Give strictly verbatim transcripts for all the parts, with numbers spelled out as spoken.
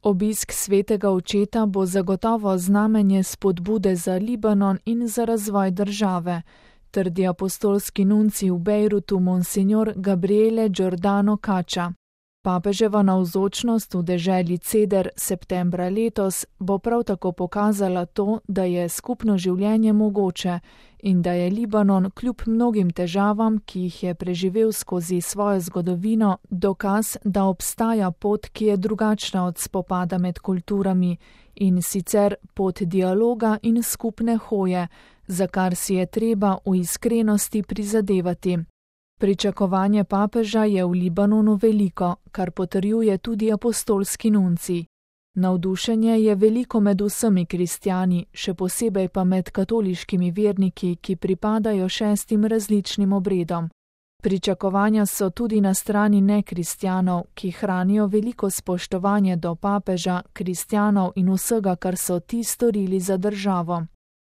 Obisk svetega očeta bo zagotovo znamenje spodbude za Libanon in za razvoj države, trdi apostolski nuncij v Bejrutu monsignor Gabriele Giordano Caccia. Papeževa navzočnost v deželi Ceder septembra letos bo prav tako pokazala to, da je skupno življenje mogoče in da je Libanon kljub mnogim težavam, ki jih je preživel skozi svojo zgodovino, dokaz, da obstaja pot, ki je drugačna od spopada med kulturami, in sicer pot dialoga in skupne hoje, za kar si je treba v iskrenosti prizadevati. Pričakovanje papeža je v Libanonu veliko, kar potrjuje tudi apostolski nuncij. Navdušenje je veliko med vsemi kristjani, še posebej pa med katoliškimi verniki, ki pripadajo šestim različnim obredom. Pričakovanja so tudi na strani nekristjanov, ki hranijo veliko spoštovanje do papeža, kristjanov in vsega, kar so ti storili za državo.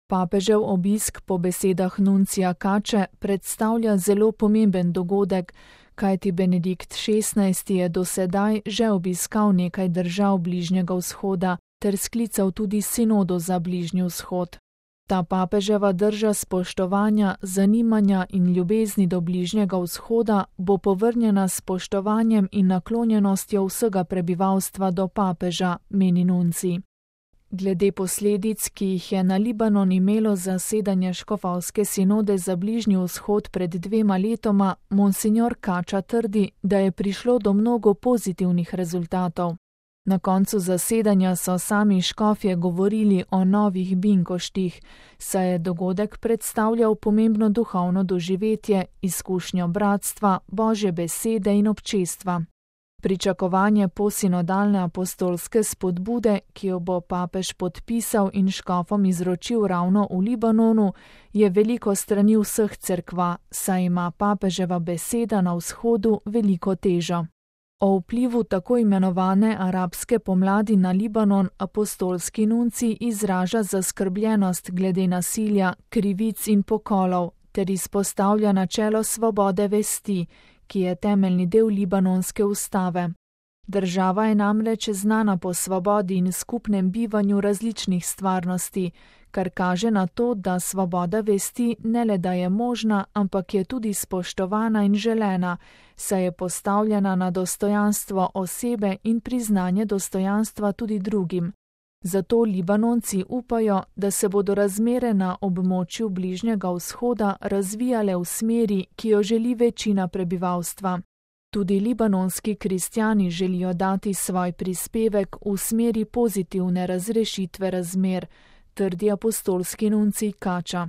Papežev obisk po besedah nuncija Cacce predstavlja zelo pomemben dogodek, kajti Benedikt šestnajsti je do sedaj že obiskal nekaj držav Bližnjega vzhoda ter sklical tudi sinodo za Bližnji vzhod. Ta papeževa drža spoštovanja, zanimanja in ljubezni do Bližnjega vzhoda bo povrnjena s spoštovanjem in naklonjenostjo vsega prebivalstva do papeža, meni nuncij. Glede posledic, ki jih je na Libanon imelo zasedanje škofovske sinode za Bližnji vzhod pred dvema letoma, monsignor Caccia trdi, da je prišlo do mnogo pozitivnih rezultatov. Na koncu zasedanja so sami škofje govorili o novih binkoštih, saj je dogodek predstavljal pomembno duhovno doživetje, izkušnjo bratstva, Božje besede in občestva. Pričakovanje posinodalne apostolske spodbude, ki jo bo papež podpisal in škofom izročil ravno v Libanonu, je veliko strani vseh cerkva, saj ima papeževa beseda na vzhodu veliko težo. O vplivu tako imenovane arabske pomladi na Libanon apostolski nuncij izraža zaskrbljenost glede nasilja, krivic in pokolov ter izpostavlja načelo svobode vesti, ki je temeljni del libanonske ustave. Država je namreč znana po svobodi in skupnem bivanju različnih stvarnosti, kar kaže na to, da svoboda vesti ne le da je možna, ampak je tudi spoštovana in želena, saj je postavljena na dostojanstvo osebe in priznanje dostojanstva tudi drugim. Zato Libanonci upajo, da se bodo razmere na območju Bližnjega vzhoda razvijale v smeri, ki jo želi večina prebivalstva. Tudi libanonski kristjani želijo dati svoj prispevek v smeri pozitivne razrešitve razmer, trdi apostolski nuncij Caccia.